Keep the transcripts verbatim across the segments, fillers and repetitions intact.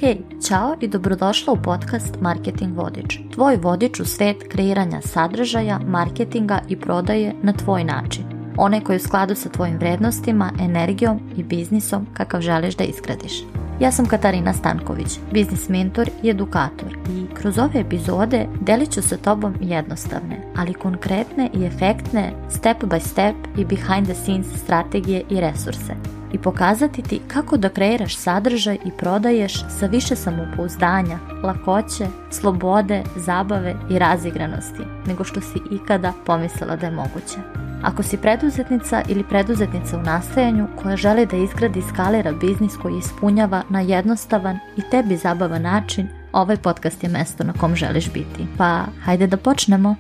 Hej, ćao i dobrodošla u podcast Marketing Vodič. Tvoj vodič u svet kreiranja sadržaja, marketinga i prodaje na tvoj način. Onaj koji je u skladu sa tvojim vrednostima, energijom i biznisom kakav želiš da izgradiš. Ja sam Katarina Stanković, biznis mentor i edukator i kroz ove epizode delit ću sa tobom jednostavne, ali konkretne i efektne step by step i behind the scenes strategije i resurse i pokazati ti kako da kreiraš sadržaj i prodaješ sa više samopouzdanja, lakoće, slobode, zabave i razigranosti nego što si ikada pomislila da je moguće. Ako si preduzetnica ili preduzetnica u nastajanju koja želi da izgradi i skalira biznis koji ispunjava na jednostavan i tebi zabavan način, ovaj podcast je mesto na kom želiš biti. Pa, hajde da počnemo.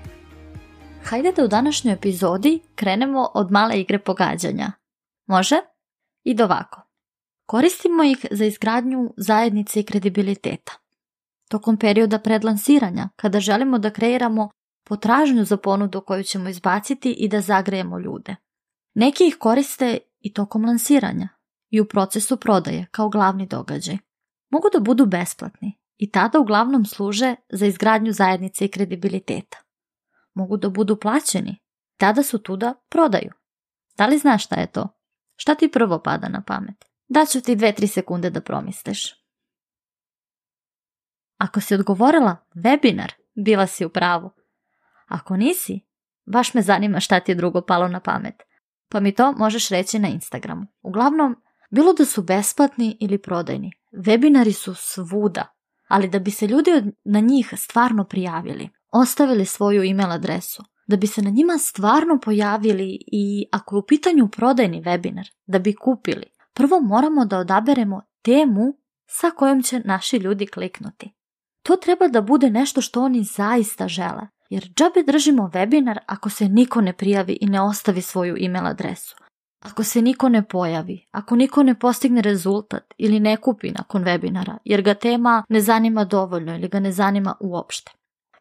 Hajde da u današnjoj epizodi krenemo od male igre pogađanja. Može? Ide ovako. Koristimo ih za izgradnju zajednice i kredibiliteta. Tokom perioda predlansiranja, kada želimo da kreiramo potražnju za ponudu koju ćemo izbaciti i da zagrejemo ljude. Neki ih koriste i tokom lansiranja i u procesu prodaje kao glavni događaj. Mogu da budu besplatni i tada uglavnom služe za izgradnju zajednice i kredibiliteta. Mogu da budu plaćeni, tada su tu da prodaju. Da li znaš šta je to? Šta ti prvo pada na pamet? Daću ti dve tri sekunde da promisliš. Ako si odgovorila webinar, bila si u pravu. Ako nisi, baš me zanima šta ti je drugo palo na pamet. Pa mi to možeš reći na Instagramu. Uglavnom, bilo da su besplatni ili prodajni, webinari su svuda, ali da bi se ljudi na njih stvarno prijavili, ostavili svoju email adresu, da bi se na njima stvarno pojavili i ako je u pitanju prodajni webinar, da bi kupili, prvo moramo da odaberemo temu sa kojom će naši ljudi kliknuti. To treba da bude nešto što oni zaista žele. Jer džabe držimo webinar ako se niko ne prijavi i ne ostavi svoju email adresu. Ako se niko ne pojavi, ako niko ne postigne rezultat ili ne kupi nakon webinara jer ga tema ne zanima dovoljno ili ga ne zanima uopšte.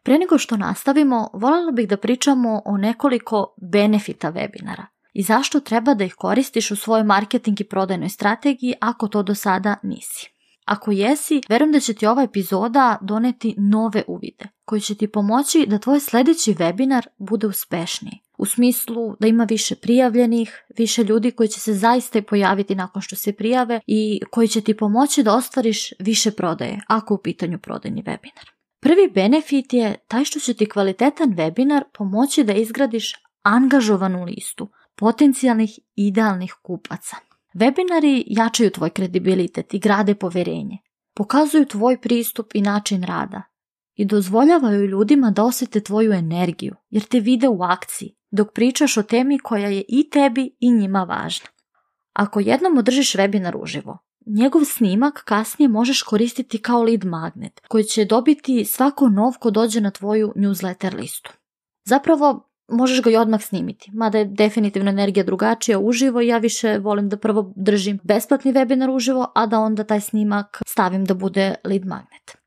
Pre nego što nastavimo, voljela bih da pričamo o nekoliko benefita webinara i zašto treba da ih koristiš u svojoj marketing i prodajnoj strategiji ako to do sada nisi. Ako jesi, verujem da će ti ova epizoda doneti nove uvide koji će ti pomoći da tvoj sljedeći webinar bude uspešniji. U smislu da ima više prijavljenih, više ljudi koji će se zaista i pojaviti nakon što se prijave i koji će ti pomoći da ostvariš više prodaje ako u pitanju prodajni webinar. Prvi benefit je taj što će ti kvalitetan webinar pomoći da izgradiš angažovanu listu potencijalnih idealnih kupaca. Webinari jačaju tvoj kredibilitet i grade poverenje, pokazuju tvoj pristup i način rada i dozvoljavaju ljudima da osjete tvoju energiju jer te vide u akciji dok pričaš o temi koja je i tebi i njima važna. Ako jednom održiš webinar uživo, njegov snimak kasnije možeš koristiti kao lead magnet koji će dobiti svako nov ko dođe na tvoju newsletter listu. Zapravo, možeš ga i odmah snimiti, mada je definitivno energija drugačija uživo i ja više volim da prvo držim besplatni webinar uživo, a da onda taj snimak stavim da bude lead magnet.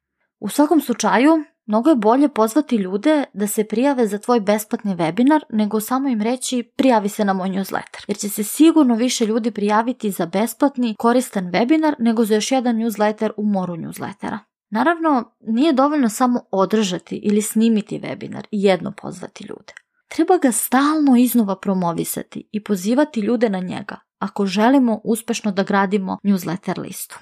U svakom slučaju, mnogo je bolje pozvati ljude da se prijave za tvoj besplatni webinar nego samo im reći prijavi se na moj newsletter, jer će se sigurno više ljudi prijaviti za besplatni koristan webinar nego za još jedan newsletter u moru newslettera. Naravno, nije dovoljno samo održati ili snimiti webinar i jedno pozvati ljude. Treba ga stalno iznova promovisati i pozivati ljude na njega ako želimo uspešno da gradimo newsletter listu.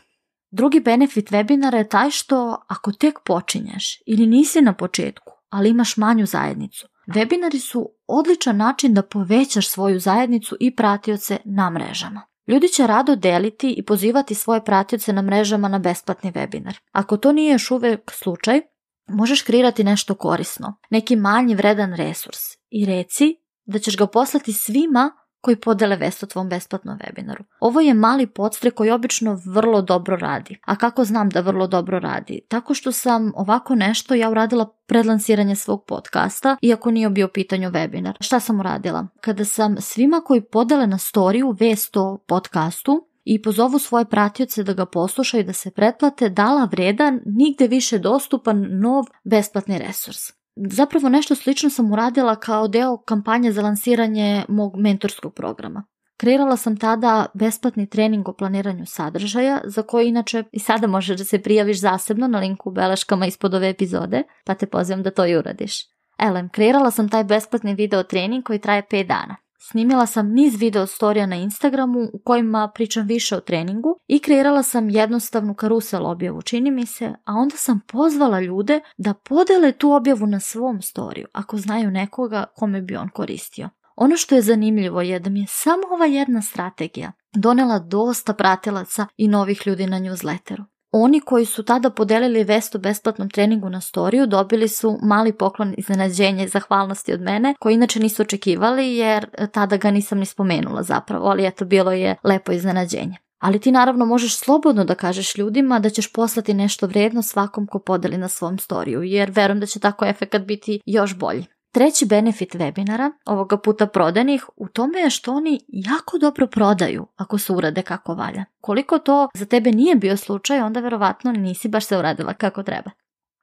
Drugi benefit webinara je taj što ako tek počinješ ili nisi na početku, ali imaš manju zajednicu, webinari su odličan način da povećaš svoju zajednicu i pratioce na mrežama. Ljudi će rado deliti i pozivati svoje pratioce na mrežama na besplatni webinar. Ako to nije još uvijek slučaj, možeš kreirati nešto korisno, neki manji vredan resurs i reci da ćeš ga poslati svima koji podele vest o tvom besplatnom webinaru. Ovo je mali podstrek koji obično vrlo dobro radi. A kako znam da vrlo dobro radi? Tako što sam ovako nešto ja uradila pred lansiranje svog podcasta, iako nije bio u pitanju webinar. Šta sam uradila? Kada sam svima koji podele na storiju vest o podcastu i pozovu svoje pratioce da ga poslušaju i da se pretplate, dala vredan, nigde više dostupan, nov besplatni resurs. Zapravo nešto slično sam uradila kao deo kampanje za lansiranje mog mentorskog programa. Kreirala sam tada besplatni trening o planiranju sadržaja, za koji inače i sada možeš da se prijaviš zasebno na linku u beleškama ispod ove epizode, pa te pozivam da to i uradiš. Elem, kreirala sam taj besplatni video trening koji traje pet dana. Snimila sam niz video storija na Instagramu u kojima pričam više o treningu i kreirala sam jednostavnu karusel objavu, čini mi se, a onda sam pozvala ljude da podele tu objavu na svom storiju, ako znaju nekoga kome bi on koristio. Ono što je zanimljivo je da mi je samo ova jedna strategija donela dosta pratilaca i novih ljudi na newsletteru. Oni koji su tada podelili vest o besplatnom treningu na storiju dobili su mali poklon iznenađenja i zahvalnosti od mene, koji inače nisu očekivali jer tada ga nisam ni spomenula zapravo, ali eto, bilo je lepo iznenađenje. Ali ti naravno možeš slobodno da kažeš ljudima da ćeš poslati nešto vrijedno svakom ko podeli na svom storiju, jer verujem da će tako efekat biti još bolji. Treći benefit webinara, ovoga puta prodajnih, u tome je što oni jako dobro prodaju ako se urade kako valja. Koliko to za tebe nije bio slučaj, onda verovatno nisi baš se uradila kako treba.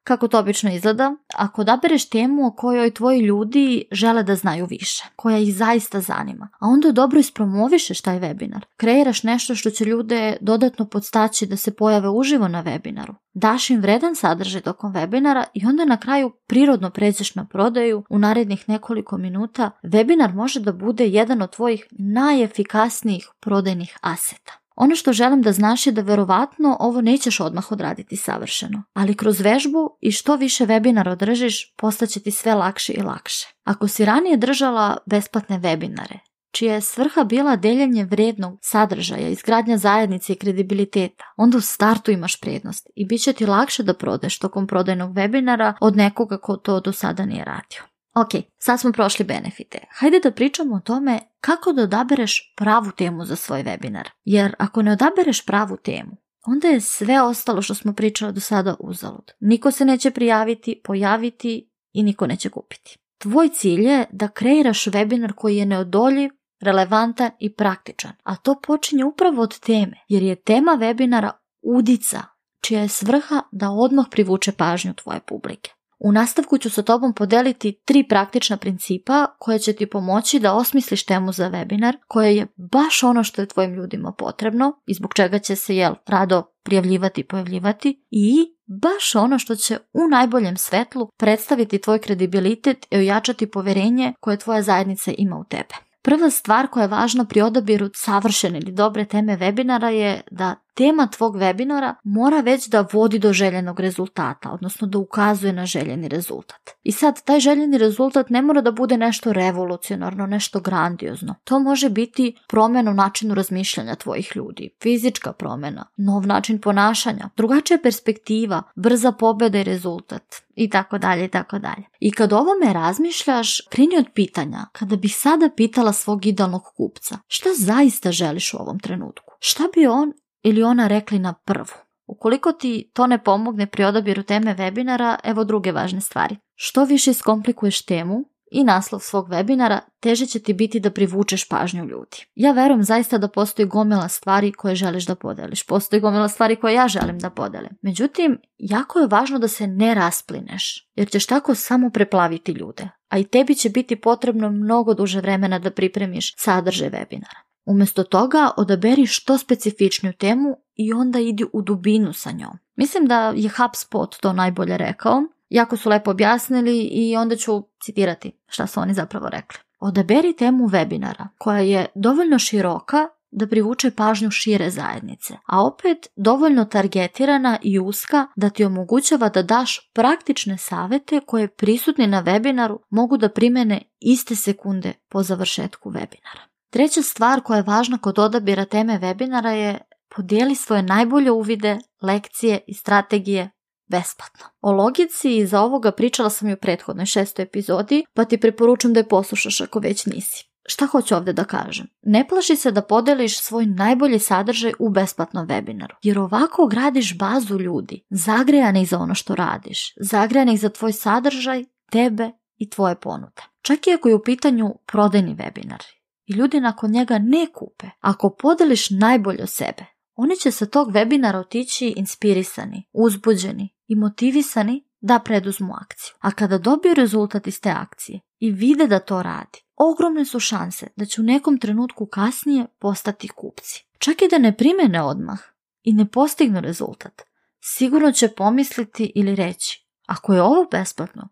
Kako to obično izgleda? Ako odabereš temu o kojoj tvoji ljudi žele da znaju više, koja ih zaista zanima, a onda dobro ispromovišeš taj webinar, kreiraš nešto što će ljude dodatno podstaći da se pojave uživo na webinaru, daš im vredan sadržaj tokom webinara i onda na kraju prirodno pređeš na prodaju u narednih nekoliko minuta, webinar može da bude jedan od tvojih najefikasnijih prodajnih aseta. Ono što želim da znaš je da verovatno ovo nećeš odmah odraditi savršeno, ali kroz vežbu i što više webinara održiš, postaće ti sve lakše i lakše. Ako si ranije držala besplatne webinare, čija je svrha bila deljenje vrijednog sadržaja, izgradnja zajednice i kredibiliteta, onda u startu imaš prednost i bit će ti lakše da prodeš tokom prodajnog webinara od nekoga ko to do sada nije radio. Ok, sad smo prošli benefite. Hajde da pričamo o tome kako da odabereš pravu temu za svoj webinar. Jer ako ne odabereš pravu temu, onda je sve ostalo što smo pričali do sada uzalud. Niko se neće prijaviti, pojaviti i niko neće kupiti. Tvoj cilj je da kreiraš webinar koji je neodoljiv, relevantan i praktičan. A to počinje upravo od teme, jer je tema webinara udica, čija je svrha da odmah privuče pažnju tvoje publike. U nastavku ću sa tobom podeliti tri praktična principa koje će ti pomoći da osmisliš temu za webinar, koja je baš ono što je tvojim ljudima potrebno i zbog čega će se jel rado prijavljivati i pojavljivati i baš ono što će u najboljem svetlu predstaviti tvoj kredibilitet i ojačati poverenje koje tvoja zajednica ima u tebe. Prva stvar koja je važna pri odabiru savršene ili dobre teme webinara je da tema tvog webinara mora već da vodi do željenog rezultata, odnosno da ukazuje na željeni rezultat. I sad, taj željeni rezultat ne mora da bude nešto revolucionarno, nešto grandiozno. To može biti promjena u načinu razmišljanja tvojih ljudi, fizička promjena, nov način ponašanja, drugačija perspektiva, brza pobjeda i rezultat i tako dalje i tako dalje. I kad o ovome razmišljaš, krini od pitanja, kada bih sada pitala svog idealnog kupca, šta zaista želiš u ovom trenutku? Šta bi on ili ona rekli na prvu? Ukoliko ti to ne pomogne pri odabiru teme webinara, evo druge važne stvari. Što više iskomplikuješ temu i naslov svog webinara, teže će ti biti da privučeš pažnju ljudi. Ja verujem zaista da postoji gomila stvari koje želiš da podeliš. Postoji gomila stvari koje ja želim da podelim. Međutim, jako je važno da se ne rasplineš, jer ćeš tako samo preplaviti ljude. A i tebi će biti potrebno mnogo duže vremena da pripremiš sadržaj webinara. Umjesto toga odaberi što specifičniju temu i onda idi u dubinu sa njom. Mislim da je HubSpot to najbolje rekao. Jako su lepo objasnili i onda ću citirati šta su oni zapravo rekli. Odaberi temu webinara koja je dovoljno široka da privuče pažnju šire zajednice, a opet dovoljno targetirana i uska da ti omogućava da daš praktične savjete koje prisutni na webinaru mogu da primene iste sekunde po završetku webinara. Treća stvar koja je važna kod odabira teme webinara je podijeli svoje najbolje uvide, lekcije i strategije besplatno. O logici iza ovoga pričala sam i u prethodnoj šestoj epizodi, pa ti preporučujem da je poslušaš ako već nisi. Šta hoću ovdje da kažem? Ne plaši se da podeliš svoj najbolji sadržaj u besplatnom webinaru, jer ovako gradiš bazu ljudi, zagrejanih za ono što radiš, zagrejanih za tvoj sadržaj, tebe i tvoje ponude. Čak i ako je u pitanju prodajni webinar i ljudi nakon njega ne kupe, ako podeliš najbolje od sebe, oni će sa tog webinara otići inspirisani, uzbuđeni i motivisani da preduzmu akciju. A kada dobiju rezultat iz te akcije i vide da to radi, ogromne su šanse da će u nekom trenutku kasnije postati kupci. Čak i da ne primene odmah i ne postignu rezultat, sigurno će pomisliti ili reći, ako je ovo besplatno,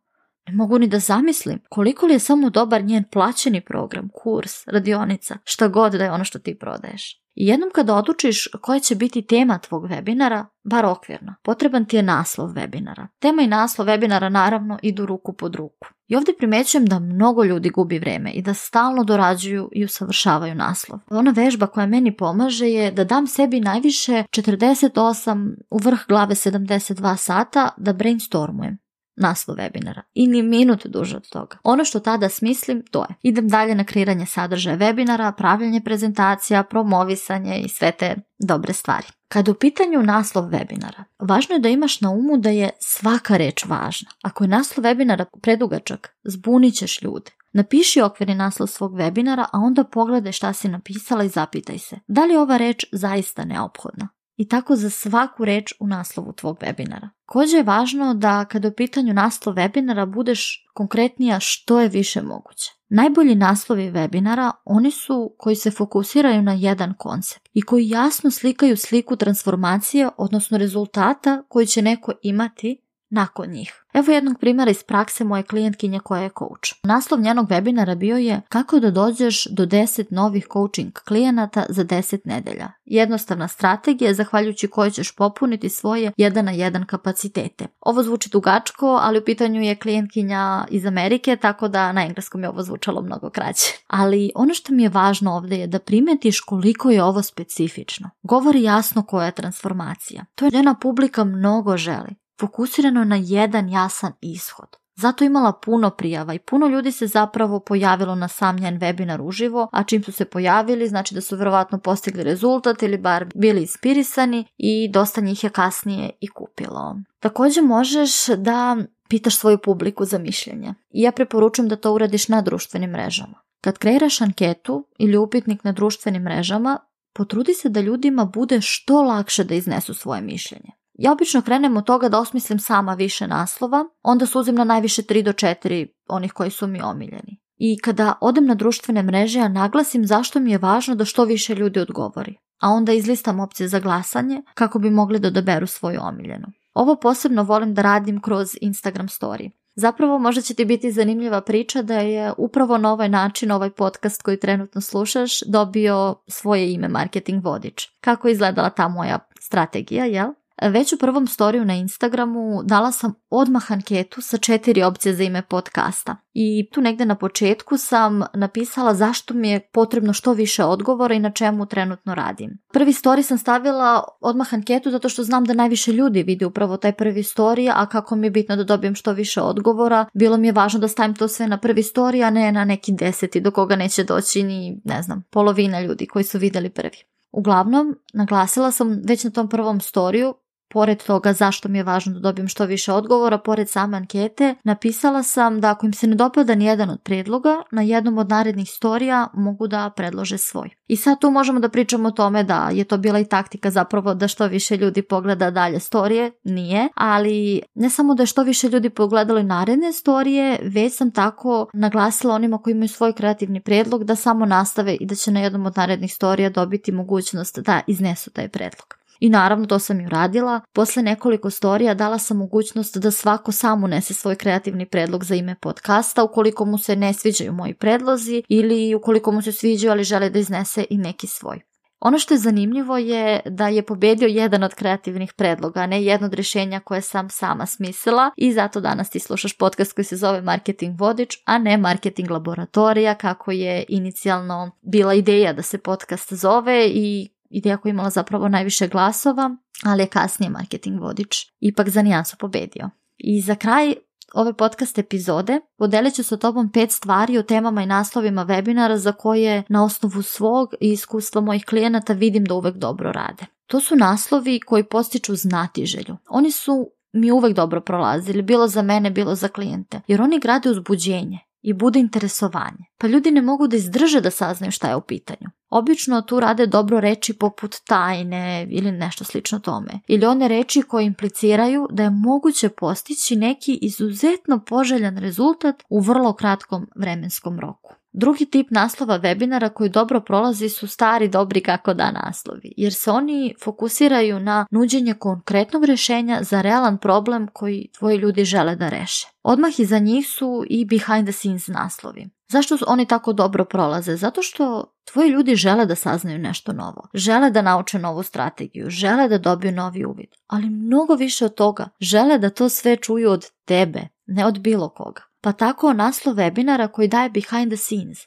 ne mogu ni da zamislim koliko li je samo dobar njen plaćeni program, kurs, radionica, šta god da je ono što ti prodaješ. I jednom kada odlučiš koja će biti tema tvog webinara, bar okvirno, potreban ti je naslov webinara. Tema i naslov webinara naravno idu ruku pod ruku. I ovdje primećujem da mnogo ljudi gubi vreme i da stalno dorađuju i usavršavaju naslov. Ona vežba koja meni pomaže je da dam sebi najviše četrdeset osam u vrh glave sedamdeset dva sata da brainstormujem naslov webinara i ni minut duže od toga. Ono što tada smislim, to je. Idem dalje na kreiranje sadržaja webinara, pravljenje prezentacija, promovisanje i sve te dobre stvari. Kad u pitanju naslov webinara, važno je da imaš na umu da je svaka reč važna. Ako je naslov webinara predugačak, zbunit ćeš ljude. Napiši okvirni naslov svog webinara, a onda pogledaj šta si napisala i zapitaj se, da li je ova reč zaista neophodna. I tako za svaku reč u naslovu tvog webinara. Također je važno da kada u pitanju naslov webinara budeš konkretnija što je više moguće. Najbolji naslovi webinara oni su koji se fokusiraju na jedan koncept i koji jasno slikaju sliku transformacije, odnosno rezultata koji će neko imati nakon njih. Evo jednog primjera iz prakse moje klijentkinje koja je coach. Naslov njenog webinara bio je kako da dođeš do deset novih coaching klijenata za deset nedelja. Jednostavna strategija zahvaljujući kojoj ćeš popuniti svoje jedan na jedan kapacitete. Ovo zvuči dugačko, ali u pitanju je klijentkinja iz Amerike, tako da na engleskom je ovo zvučalo mnogo kraće. Ali ono što mi je važno ovdje je da primetiš koliko je ovo specifično. Govori jasno koja je transformacija. To je njena publika mnogo želi. Fokusirano na jedan jasan ishod. Zato imala puno prijava i puno ljudi se zapravo pojavilo na sam njen webinar uživo, a čim su se pojavili znači da su vjerovatno postigli rezultat ili bar bili inspirisani i dosta njih je kasnije i kupilo. Također možeš da pitaš svoju publiku za mišljenje i ja preporučujem da to uradiš na društvenim mrežama. Kad kreiraš anketu ili upitnik na društvenim mrežama, potrudi se da ljudima bude što lakše da iznesu svoje mišljenje. Ja obično krenem od toga da osmislim sama više naslova, onda suzim na najviše tri do četiri onih koji su mi omiljeni. I kada odem na društvene mreže, ja naglasim zašto mi je važno da što više ljudi odgovori, a onda izlistam opcije za glasanje kako bi mogli da odaberu svoju omiljenu. Ovo posebno volim da radim kroz Instagram story. Zapravo možda će ti biti zanimljiva priča da je upravo na ovaj način ovaj podcast koji trenutno slušaš dobio svoje ime Marketing Vodič. Kako je izgledala ta moja strategija, jel? Već u prvom storiju na Instagramu dala sam odmah anketu sa četiri opcije za ime podcasta. I tu negdje na početku sam napisala zašto mi je potrebno što više odgovora i na čemu trenutno radim. Prvi story sam stavila odmah anketu zato što znam da najviše ljudi vidi upravo taj prvi story, a kako mi je bitno da dobijem što više odgovora, bilo mi je važno da stavim to sve na prvi story, a ne na neki deseti do koga neće doći ni, ne znam, polovina ljudi koji su vidjeli prvi. Uglavnom, naglasila sam već na tom prvom storiju, pored toga zašto mi je važno da dobijem što više odgovora, pored same ankete, napisala sam da ako im se ne dopada nijedan od prijedloga, na jednom od narednih storija mogu da predlože svoj. I sad tu možemo da pričamo o tome da je to bila i taktika zapravo da što više ljudi pogleda dalje storije, nije, ali ne samo da je što više ljudi pogledalo i naredne storije, već sam tako naglasila onima koji imaju svoj kreativni prijedlog da samo nastave i da će na jednom od narednih storija dobiti mogućnost da iznesu taj prijedlog. I naravno to sam i uradila. Posle nekoliko storija dala sam mogućnost da svako sam unese svoj kreativni predlog za ime podcasta ukoliko mu se ne sviđaju moji predlozi ili ukoliko mu se sviđaju ali žele da iznese i neki svoj. Ono što je zanimljivo je da je pobedio jedan od kreativnih predloga, ne jedno od rješenja koje sam sama smislila i zato danas ti slušaš podcast koji se zove Marketing Vodič, a ne Marketing Laboratorija kako je inicijalno bila ideja da se podcast zove i ideja koja je imala zapravo najviše glasova, ali je kasnije Marketing Vodič ipak za nijansu pobedio. I za kraj ove podcast epizode podelit ću sa tobom pet stvari o temama i naslovima webinara za koje na osnovu svog i iskustva mojih klijenata vidim da uvek dobro rade. To su naslovi koji postiču znatiželju. Oni su mi uvek dobro prolazili, bilo za mene, bilo za klijente, jer oni grade uzbuđenje i bude interesovanje. Pa ljudi ne mogu da izdrže da saznaju šta je u pitanju. Obično tu rade dobro reči poput tajne ili nešto slično tome. Ili one reči koje impliciraju da je moguće postići neki izuzetno poželjan rezultat u vrlo kratkom vremenskom roku. Drugi tip naslova webinara koji dobro prolazi su stari dobri kako da naslovi, jer se oni fokusiraju na nuđenje konkretnog rješenja za realan problem koji tvoji ljudi žele da reše. Odmah iza njih su i behind the scenes naslovi. Zašto oni tako dobro prolaze? Zato što tvoji ljudi žele da saznaju nešto novo, žele da nauče novu strategiju, žele da dobiju novi uvid, ali mnogo više od toga, žele da to sve čuju od tebe, ne od bilo koga. Pa tako naslov webinara koji daje behind the scenes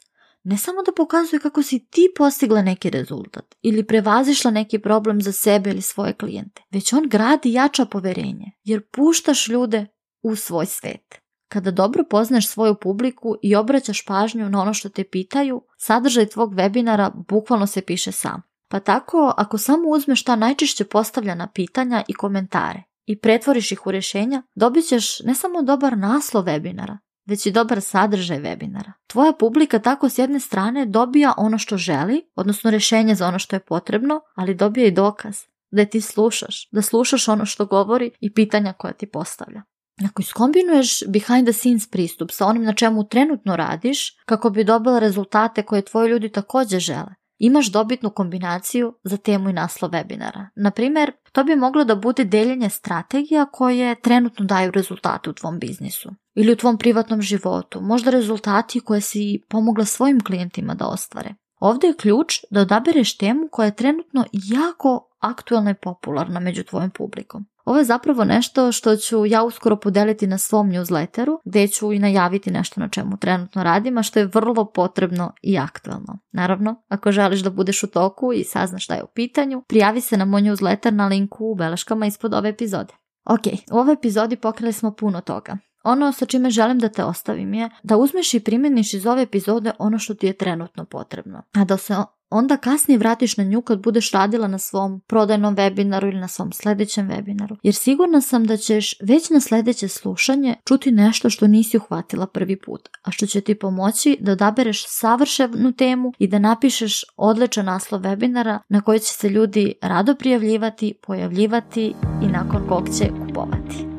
ne samo da pokazuje kako si ti postigla neki rezultat ili prevazišla neki problem za sebe ili svoje klijente, već on gradi i jača poverenje, jer puštaš ljude u svoj svet. Kada dobro poznaš svoju publiku i obraćaš pažnju na ono što te pitaju, sadržaj tvog webinara bukvalno se piše sam. Pa tako, ako samo uzmeš ta najčešće postavljena pitanja i komentare i pretvoriš ih u rješenja, dobit ćeš ne samo dobar naslov webinara, već i dobar sadržaj webinara. Tvoja publika tako s jedne strane dobija ono što želi, odnosno rješenje za ono što je potrebno, ali dobija i dokaz da je ti slušaš, da slušaš ono što govori i pitanja koja ti postavlja. Ako iskombinuješ behind the scenes pristup sa onim na čemu trenutno radiš, kako bi dobila rezultate koje tvoji ljudi također žele, imaš dobitnu kombinaciju za temu i naslov webinara. Na primjer, to bi moglo da bude deljenje strategija koje trenutno daju rezultate u tvom biznisu ili u tvom privatnom životu, možda rezultati koje si pomogla svojim klijentima da ostvare. Ovdje je ključ da odabereš temu koja je trenutno jako aktualna i popularna među tvojom publikom. Ovo je zapravo nešto što ću ja uskoro podeliti na svom newsletteru, gdje ću i najaviti nešto na čemu trenutno radim, a što je vrlo potrebno i aktualno. Naravno, ako želiš da budeš u toku i saznaš šta je u pitanju, prijavi se na moj newsletter na linku u beleškama ispod ove epizode. Ok, u ovoj epizodi pokrili smo puno toga. Ono sa čime želim da te ostavim je da uzmeš i primjeniš iz ove epizode ono što ti je trenutno potrebno, a da se onda kasnije vratiš na nju kad budeš radila na svom prodajnom webinaru ili na svom sljedećem webinaru. Jer sigurna sam da ćeš već na sljedeće slušanje čuti nešto što nisi uhvatila prvi put, a što će ti pomoći da odabereš savršenu temu i da napišeš odličan naslov webinara na koji će se ljudi rado prijavljivati, pojavljivati i nakon kog će kupovati.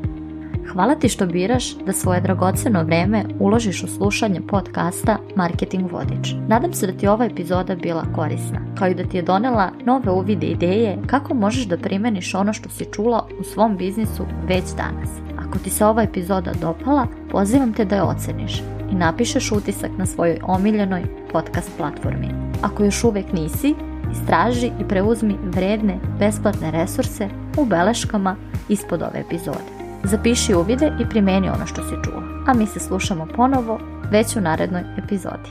Hvala ti što biraš da svoje dragoceno vrijeme uložiš u slušanje podcasta Marketing Vodič. Nadam se da ti ova epizoda bila korisna, kao i da ti je donela nove uvide i ideje kako možeš da primjeniš ono što si čula u svom biznisu već danas. Ako ti se ova epizoda dopala, pozivam te da je oceniš i napišeš utisak na svojoj omiljenoj podcast platformi. Ako još uvijek nisi, istraži i preuzmi vredne, besplatne resurse u beleškama ispod ove epizode. Zapiši uvide i primjeni ono što si čuo, a mi se slušamo ponovo već u narednoj epizodi.